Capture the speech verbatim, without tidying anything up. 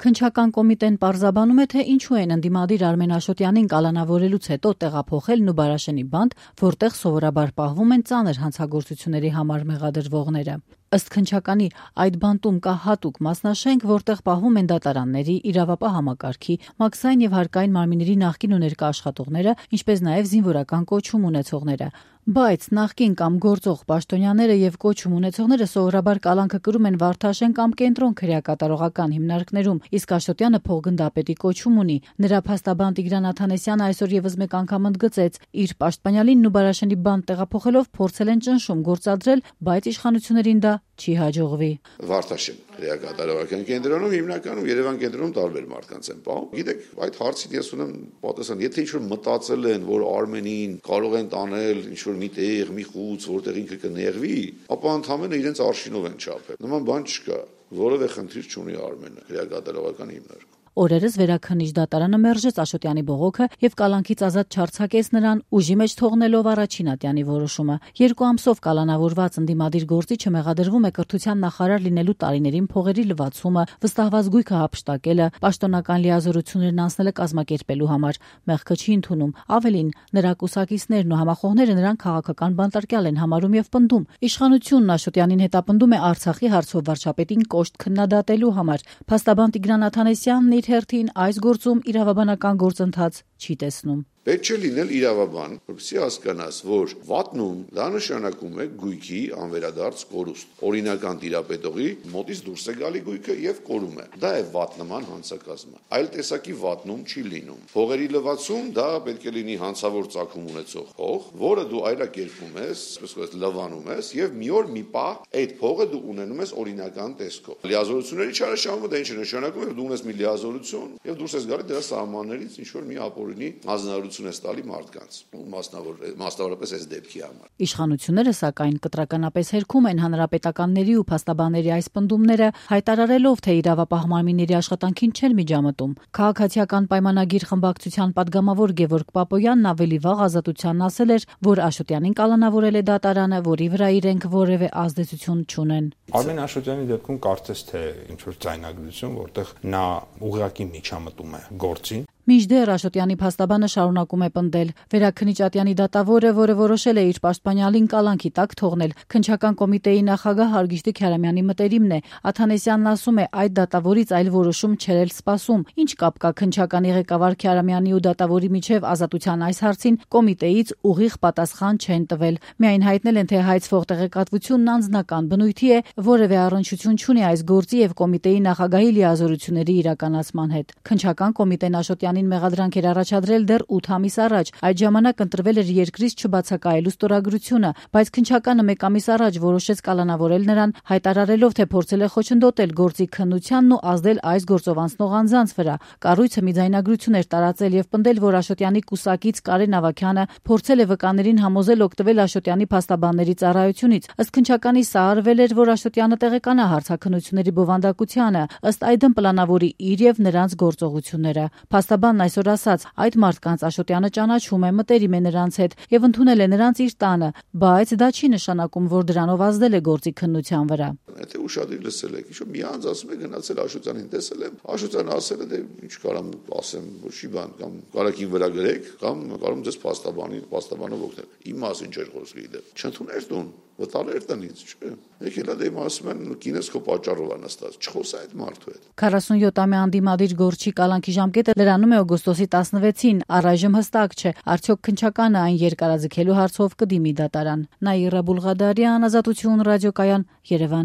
Քննչական կոմիտեն պարզաբանում է, թե ինչու են ընդդիմադիր Արմեն Աշոտյանին կալանավորելուց հետո տեղափոխել Նուբարաշենի բանտ, որտեղ սովորաբար պահվում են ծանր հանցագործությունների համար մեղադրվողները։ Ըստ քննչականի, այդ բանտում կա հատուկ մասնաշենք, որտեղ պահվում են դատարանների, իրավապահ համակարգի, մաքսային եւ հարկային մարմինների նախկին ու ներկա աշխատողները, ինչպես նաեւ զինվորական կոչում ունեցողները։ Բայց նախկին կամ գործող պաշտոնյաները եւ կոչում ունեցողները սովորաբար կալանքը կրում են Վարդաշեն կամ Կենտրոն քրեակատարողական հիմնարկներում, իսկ Աշոտյանը փոխգնդապետի կոչում ունի։ Նրա փաստաբան Տիգրան Աթանեսյանը այսօր եւս մեկ անգամ ընդգծեց, իր պաշտպանյալին Նուբարաշենի բանտ տեղափոխելով փորձել են ճնշում գործադրել, բայց իշխանություններին դա չի հաջողվի։ Վարդաշեն քրեակատարողական կենտրոնում հիմնականում Երևան կենտրոնում տարբեր մարդկանց են պահում։ Գիտեք, այդ հարցին ես ունեմ պատասխան, եթե ինչ-որ մտածել են, որ Արմենին կարող են տանել ինչ-որ մի տեղ, մի խուց, որտեղ ինքը կներվի, ապա ընդհանրապես իրենց արշինով են չափել։ Նման բան չկա, որևէ խնդիր չունի Արմենը քրեակատարողական հիմնարկում։ Օրերս վերաքննիչ դատարանը մերժեց Աշոտյանի բողոքը եւ կալանքից ազատ չարձակեց նրան, ուժի մեջ թողնելով առաջին ատյանի որոշումը։ Երկու ամսով կալանավորված ընդդիմադիր գործիչը մեղադրվում է կրթության նախարար լինելու տարիներին փողերի լվացումը, վստահված գույքը հափշտակելը, պաշտոնական լիազորություններն անցնելը կազմակերպելու համար։ Մեղքը չի ընդունում։ Ավելին, նրա կուսակիցներն ու համախոհները նրան քաղաքական բանտարկյալ են համարում եւ պնդում։ Իշխանությունն Աշոտյանին հետապնդում է Արցախի հարցով վարչապետին կոշտ քննադատելու համար։ Փաստաբան Տիգրան Աթանեսյանն հերթին այս գործում իրավաբանական գործընթաց չի տեսնում։ Պետք չէ լինել իրավաբան, որպեսզի հասկանաս, որ վատնում դա նշանակում է գույքի անվերադարձ կորուստ։ Օրինական տիրապետողի մոտից դուրս է գալի գույքը եւ կորում է։ Դա է վատնման հանցակազմը։ Այլ տեսակի վատնում չի լինում։ Փողերի լվացում դա պետք է լինի հանցավոր ծագում ունեցող փող, որը դու այլակերպում ես, այսպես լվանում ես եւ մի օր մի պահ այդ փողը դու ունենում ես օրինական տեսքով։ Լիազորությունների չարաշահումը դա ինչ է նշանակում, որ դու ունես մի լիազորություն եւ դուրս ես գալի դրա սահմաններից ինչ որ մի ապօրինի հանձնարարություն ստալի մարդկանց, մասնավոր մասնավորապես այս դեպքի համար։ Իշխանությունները սակայն կտրականապես հերքում են հանրապետականների ու փաստաբանների այս պնդումները, հայտարարելով, թե իրավապահ մարմինների աշխատանքին չեն միջամտում։ Քաղաքացիական պայմանագիր խմբակցության падգամավոր Գևորգ Պապոյանն ավելի վաղ Ազատությանն ասել էր, որ Աշոտյանին կալանավորել է դատարանը, որի վրա իրենք որևէ ազդեցություն չունեն։ Արմեն Աշոտյանի դեպքում կարծես թե ինչ որ ձայնագրություն, որտեղ նա ուղղակի միջամտում է գործին։ Մինչդեռ Աշոտյանի փաստաբանը շարունակում է պնդել. Վերաքննիչ ատյանի դատավորը, որը որոշել է իր պաշտպանյալին կալանքի տակ թողնել, քննչական կոմիտեի նախագահ Հարգիշտի Քյարամյանի մտերիմն է։ Աթանեսյանն ասում է, այդ դատավորից այլ որոշում չէր էլ սպասում։ Ինչ կապ կա քննչականի ղեկավար Քյարամյանի ու դատավորի միջև ազատության այս հարցին կոմիտեից ուղիղ պատասխան չեն տվել։ Միայն հայտնել են, թե հայցվող տեղեկատվությունն անձնական բնույթի է, որևէ առնչություն չունի այս գործի եւ կոմիտեի նախագահի լիազորությունների իրականացման հետ։ Քննչական կոմիտեն Աշոտյանին մեղադրանք էր առաջադրել դեռ ութ ամիս առաջ։ Այդ ժամանակ ընտրվել էր երկրից չբացակայելու ստորագրությունը, բայց քննչականը մեկ ամիս առաջ որոշեց կալանավորել նրան, հայտարարելով, թե փորձել է խոչընդոտել գործի քննությանն ու ազդել այս գործով անցնող անձանց վրա։ Կառույցը մի ձայնագրություն էր տարածել եւ պնդել, որ Աշոտյանի կուսակից Կարեն Ավագյանը փորձել է վկաներին համոզել օգտվել Աշոտյանի փաստաբանների ծառայությունից։ Ըստ քննչականի սա արվել էր, որ Աշոտյանը տեղեկանա հարցաքննությունների բովանդակությանը, ըստ այդմ պլանավորի իր եւ նրանց գործողությունները։ Փաստաբանն այսօր ասաց, այդ մարդկանց Աշոտյանը ճանաչում է, մտերիմ է նրանց հետ եւ ընդունել է նրանց իր տանը, բայց դա չի նշանակում, որ դրանով ազդել է գործի քննության վրա։ Եթե ուշադիր լսել եք, ինչ-որ մի անձ ասում է գնացել Աշոտյանին տեսել եմ, Աշոտյանը ասել է, դե ինչ կարամ ասեմ, ոչի բան, կամ կարակին վրա գրեք, կամ կարում ձեզ փաստաբանի, փաստաբանով օգնել։ Իմ մասին չէր խոսքի դե։ Չընդուներ տուն, վտալ էր տնից, չէ։ Եկել է դեմ ասում են կինս քո պատճառով է նստած, չխոսա այդ մարդու հետ։ քառասունյոթամյա անդիմադիր գործչի կալանքի ժամկետը լրանում է օգոստոսի տասնվեցին, առայժմ հստակ չէ, արդյոք քննչականը այն երկարաձգելու հարցով կդիմի դատարան։ Նաիրա Բուլղադարյան, Ազատություն ռադիոկայան, Երևան։